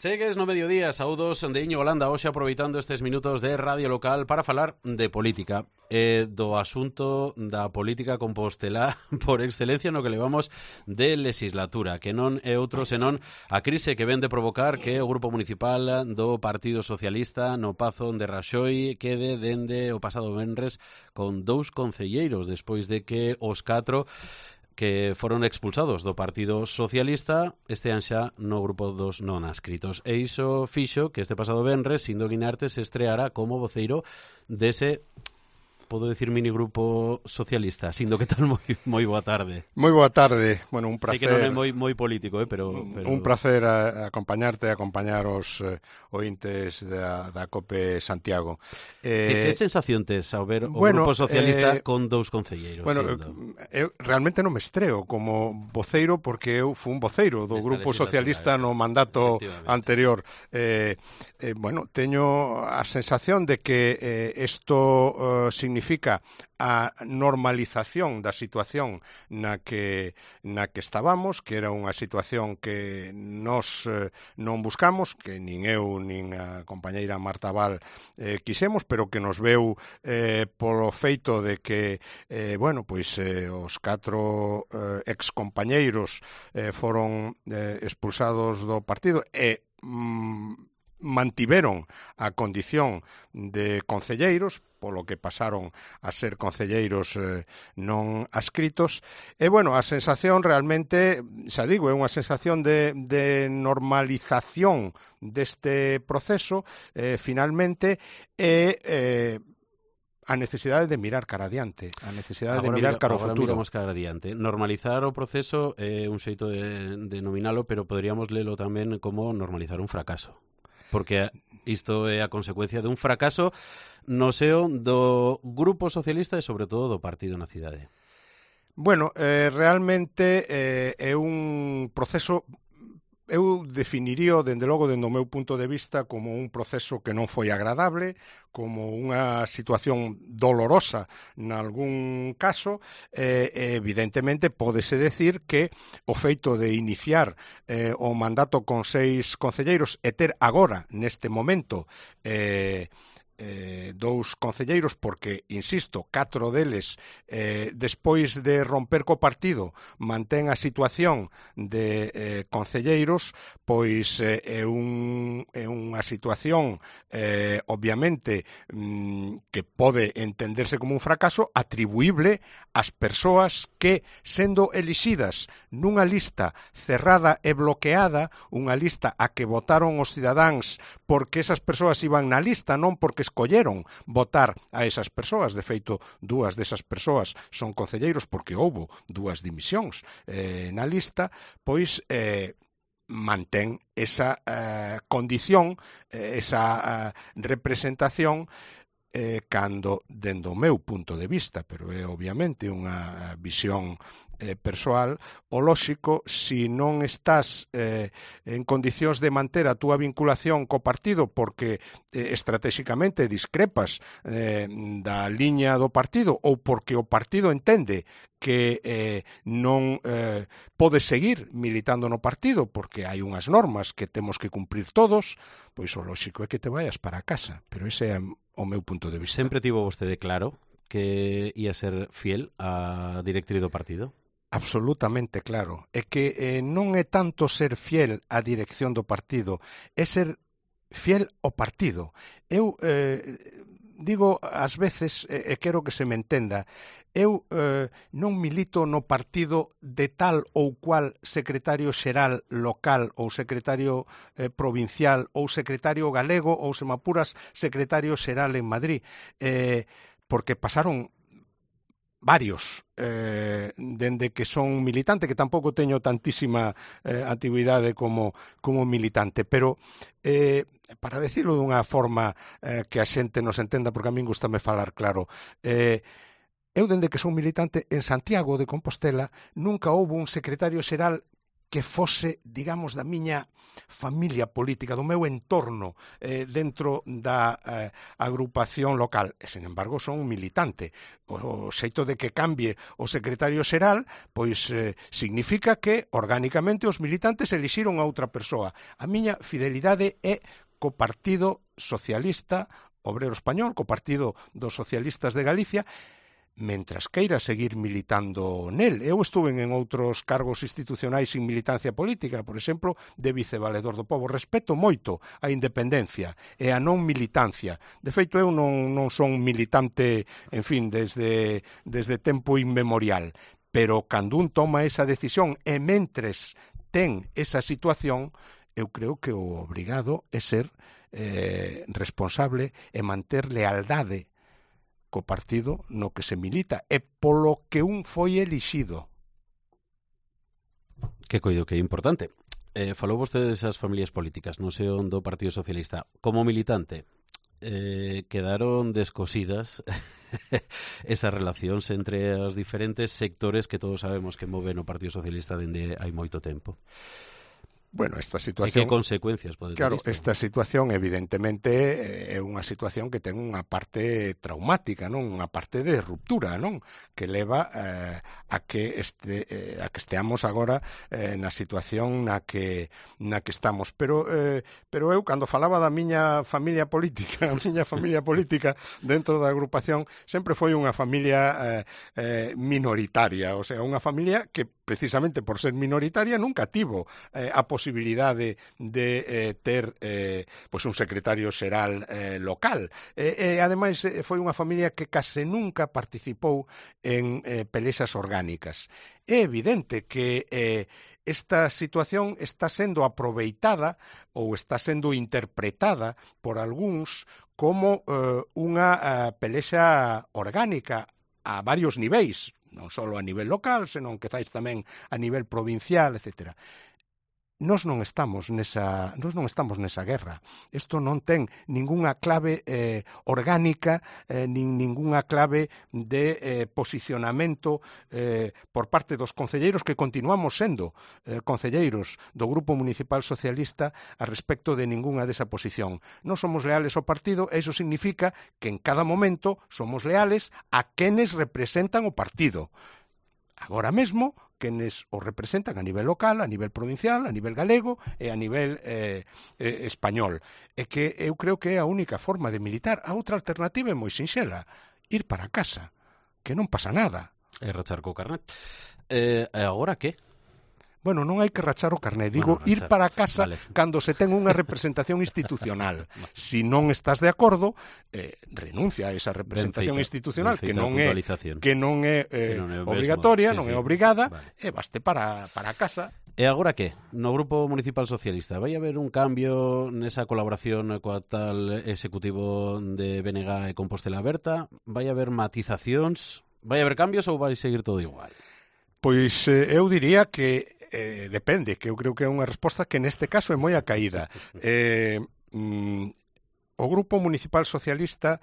Segues no mediodía, saúdos de Iñigo Landa, hoxe aproveitando estes minutos de Radio Local para falar de política, do asunto da política compostelá por excelencia no que levamos de legislatura, que non é outro senón a crise que ven de provocar que o Grupo Municipal do Partido Socialista no Pazo de Raxoi quede dende o pasado venres con 2 concelleiros despois de que os 4 que foron expulsados do Partido Socialista estean xa no grupo dos non adscritos. E iso fixo que este pasado venres Sindo Guinarte se estreara como voceiro dese, podo decir, minigrupo socialista. Sindo, que tal? Moi boa tarde. Moi boa tarde. Bueno, un placer. Sei que non é moi político, pero... Un placer acompañarte, acompañar os ointes da COPE Santiago. Que sensación tes ao ver o Grupo Socialista con 2 concelleiros? Bueno, eu realmente non me estreo como voceiro porque eu fui un voceiro do Grupo Socialista no mandato anterior. Bueno, teño a sensación de que isto significa a normalización da situación na que estábamos, que era unha situación que nos non buscamos, que nin eu nin a compañeira Marta Val quixemos, pero que nos veu polo feito de que os 4 excompañeiros foron expulsados do partido e mantiveron a condición de concelleiros, polo que pasaron a ser concelleiros non adscritos. E, bueno, a sensación realmente, xa digo, é unha sensación de normalización deste proceso, finalmente, a necesidade de mirar cara adiante, a necesidade de mirar cara ao futuro. Agora miramos cara adiante. Normalizar o proceso é un xeito de denominalo, pero poderíamos lelo tamén como normalizar un fracaso. Porque isto é a consecuencia de un fracaso no seo do Grupo Socialista e, sobre todo, do partido na cidade. Bueno, realmente é un proceso... Eu definiría, dende logo, dende o meu punto de vista, como un proceso que non foi agradable, como unha situación dolorosa nalgún caso, evidentemente pódese decir que o feito de iniciar o mandato con 6 concelleiros e ter agora, neste momento, 2 concelleiros, porque, insisto, 4 deles despois de romper co partido mantén a situación de concelleiros, pois é unha situación obviamente que pode entenderse como un fracaso atribuible ás persoas que, sendo elixidas nunha lista cerrada e bloqueada, unha lista a que votaron os cidadáns porque esas persoas iban na lista, non porque escolleron votar a esas persoas. De feito, 2 desas persoas son concelleiros porque houbo 2 dimisións na lista, pois mantén esa condición, esa representación, cando, dende o meu punto de vista, pero é obviamente unha visión persoal, o lóxico, se non estás en condicións de manter a túa vinculación co partido porque estratégicamente discrepas da liña do partido ou porque o partido entende que non pode seguir militando no partido porque hai unhas normas que temos que cumprir todos, pois o lóxico é que te vayas para casa. Pero ese é o meu punto de vista. Sempre tivo vostede claro que ia ser fiel á directriz do partido? Absolutamente claro. É que non é tanto ser fiel á dirección do partido, é ser fiel ao partido. Eu digo ás veces, e quero que se me entenda, eu non milito no partido de tal ou cual secretario xeral local ou secretario provincial ou secretario galego ou, se me apuras, secretario xeral en Madrid, porque pasaron varios dende que son militante, que tampouco teño tantísima antigüidade como militante, pero para decirlo dunha forma que a xente nos entenda, porque a min gustame falar claro, eu dende que son militante en Santiago de Compostela nunca houbo un secretario xeral que fose, digamos, da miña familia política, do meu entorno dentro da agrupación local. E, sen embargo, son un militante. O xeito de que cambie o secretario xeral, pois significa que, orgánicamente, os militantes elixiron a outra persoa. A miña fidelidade é co Partido Socialista Obrero Español, co Partido dos Socialistas de Galicia, mentras queira seguir militando nel. Eu estuve en outros cargos institucionais sin militancia política, por exemplo, de vicevaledor do pobo. Respeto moito a independencia e a non militancia. De feito, eu non son militante, en fin, desde tempo inmemorial. Pero cando un toma esa decisión e mentres ten esa situación, eu creo que o obrigado é ser responsable e manter lealdade co partido no que se milita e polo que un foi elixido. Que coido que é importante. Falou vostede desas familias políticas, non sei onde o Partido Socialista. Como militante, quedaron descosidas esas relacións entre os diferentes sectores que todos sabemos que moven o Partido Socialista dende hai moito tempo. Bueno, esta situación... E que consecuencias pode ter isto? Claro, esta situación evidentemente é unha situación que ten unha parte traumática, non? Unha parte de ruptura, non? Que leva a que esteamos agora na situación na que estamos. Pero eu, cando falaba da miña familia política, a miña familia política dentro da agrupación, sempre foi unha familia minoritaria, o sea, unha familia que precisamente por ser minoritaria nunca tivo a posibilidade de ter pois un secretario xeral local. Ademais, foi unha familia que case nunca participou en pelexas orgánicas. É evidente que esta situación está sendo aproveitada ou está sendo interpretada por algúns como unha pelexa orgánica a varios niveis, non só a nivel local, senón quizás tamén a nivel provincial, etc. Nós non estamos nesa guerra. Isto non ten ningunha clave orgánica, nin ningunha clave de posicionamento por parte dos concelleiros que continuamos sendo concelleiros do Grupo Municipal Socialista a respecto de ningunha desa posición. Non somos leales ao partido e iso significa que en cada momento somos leales a quenes representan o partido. Agora mesmo, quenes o representan a nivel local, a nivel provincial, a nivel galego e a nivel español. E que eu creo que é a única forma de militar. A outra alternativa é moi sinxela, ir para casa, que non pasa nada. E rachar co carnet. E agora que? Bueno, non hai que rachar o carné, digo, ir para casa cando se ten unha representación institucional. Si non estás de acordo, renuncia a esa representación institucional que non é obrigatoria, non é obrigada, e vaste para casa. E agora que? No Grupo Municipal Socialista vai haber un cambio nesa colaboración coa tal executivo de BNG e Compostela Aberta? Vai haber matizacións? Vai haber cambios ou vai seguir todo igual? Pois eu diría que depende, que eu creo que é unha resposta que neste caso é moi acaída. O Grupo Municipal Socialista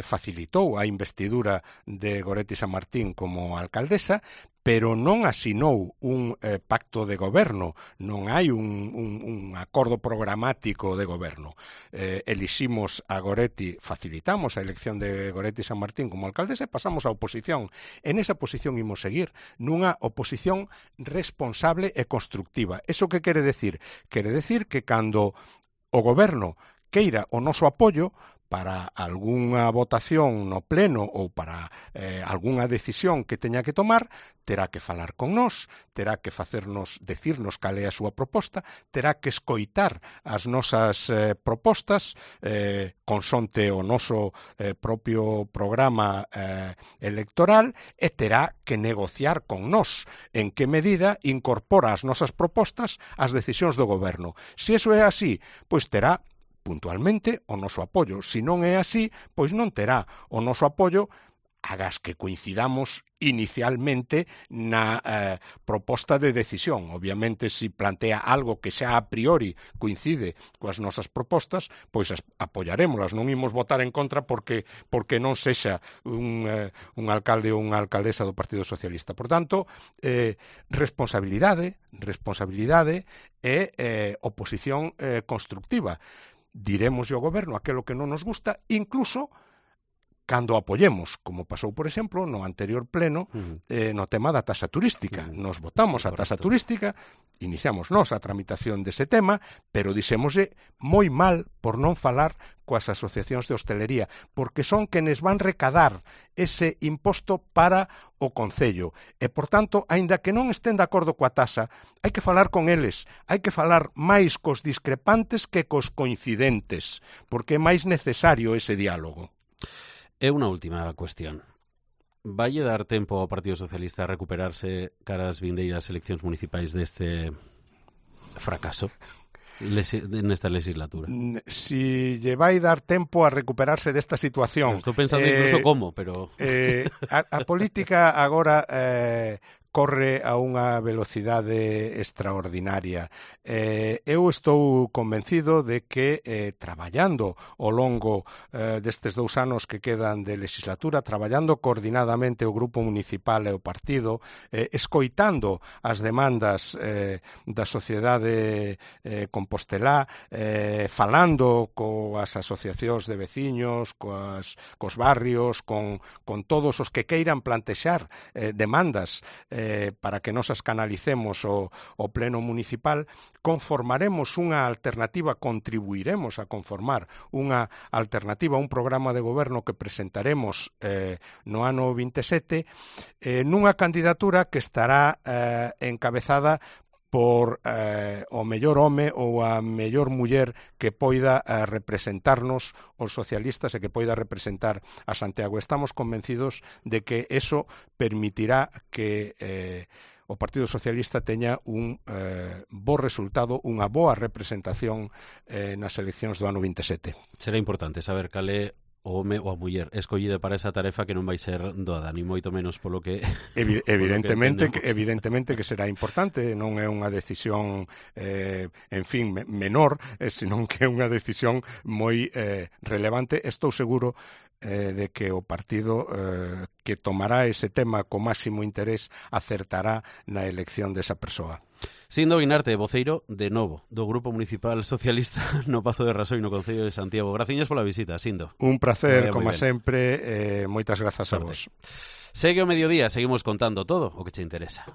facilitou a investidura de Goretti Sanmartín como alcaldesa, pero non asinou un pacto de goberno, non hai un acordo programático de goberno. Eliximos a Goretti, facilitamos a elección de Goretti Sanmartín como alcaldesa e pasamos á oposición. En esa posición imos seguir, nunha oposición responsable e constructiva. Eso que quere decir? Quere decir que cando o goberno queira o noso apoio para algunha votación no pleno ou para algunha decisión que teña que tomar, terá que falar con nós, terá que decirnos cal é a súa proposta, terá que escoitar as nosas propostas consonte o noso propio programa electoral e terá que negociar con nós en que medida incorpora as nosas propostas ás decisións do goberno. Se iso é así, pois terá puntualmente o noso apoio. Se non é así, pois non terá o noso apoio agas que coincidamos inicialmente na proposta de decisión. Obviamente, se plantea algo que xa a priori coincide coas nosas propostas, pois apoiarémolas, non imos votar en contra porque non sexa un alcalde ou unha alcaldesa do Partido Socialista. Por tanto, responsabilidade e oposición constructiva. Diremos ao goberno aquilo que non nos gusta, incluso cando apoyemos, como pasou, por exemplo, no anterior pleno, no tema da taxa turística. Nos votamos a taxa turística, iniciamos nós a tramitación dese tema, pero dixémoslle moi mal por non falar coas asociacións de hostelería, porque son quenes van recadar ese imposto para o Concello. E, por tanto, aínda que non estén de acordo coa taxa, hai que falar con eles, hai que falar máis cos discrepantes que cos coincidentes, porque é máis necesario ese diálogo. E unha última cuestión. Valle dar tempo ao Partido Socialista a recuperarse cara ás vindeiras eleccións municipais deste fracaso nesta legislatura? Si lle vai dar tempo a recuperarse desta situación... Estou pensando incluso como, pero... A política agora... corre a unha velocidade extraordinaria. Eu estou convencido de que traballando ao longo destes 2 anos que quedan de legislatura, traballando coordinadamente o Grupo Municipal e o Partido, escoitando as demandas da sociedade compostelá, falando coas asociacións de veciños, cos barrios, con todos os que queiran plantexar demandas para que nos as canalicemos ao pleno municipal, conformaremos unha alternativa, contribuiremos a conformar unha alternativa, un programa de goberno que presentaremos no ano 27, nunha candidatura que estará encabezada por o mellor home ou a mellor muller que poida representarnos os socialistas e que poida representar a Santiago. Estamos convencidos de que eso permitirá que o Partido Socialista teña un bo resultado, unha boa representación nas eleccións do ano 27. Será importante saber cal é o home ou a muller escollida para esa tarefa que non vai ser doada, ni moito menos polo que... Evidentemente que será importante, non é unha decisión, menor, senón que é unha decisión moi relevante. Estou seguro de que o partido que tomará ese tema co máximo interés acertará na elección desa persoa. Sindo Guinarte, voceiro, de novo, do Grupo Municipal Socialista no Pazo de Rasoi, no Concello de Santiago. Graciñas pola visita, Sindo. Un placer, como sempre, moitas grazas a vos. Segue o mediodía, seguimos contando todo o que che interesa.